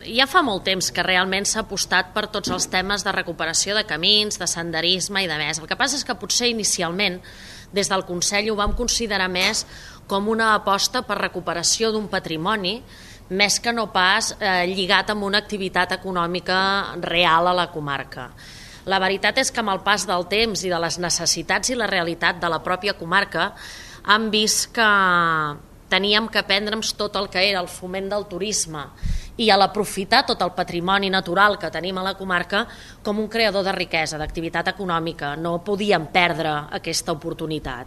Ja fa molt temps que realment s'ha apostat per tots els temes de recuperació de camins, de senderisme i de més. El que passa és que potser inicialment des del Consell ho vam considerar més com una aposta per recuperació d'un patrimoni més que no pas lligat amb una activitat econòmica real a la comarca. La veritat és que amb el pas del temps i de les necessitats i la realitat de la pròpia comarca hem vist que teníem que prendre'ns tot el que era el foment del turisme i a l'aprofitar tot el patrimoni natural que tenim a la comarca com un creador de riquesa, d'activitat econòmica. No podíem perdre aquesta oportunitat.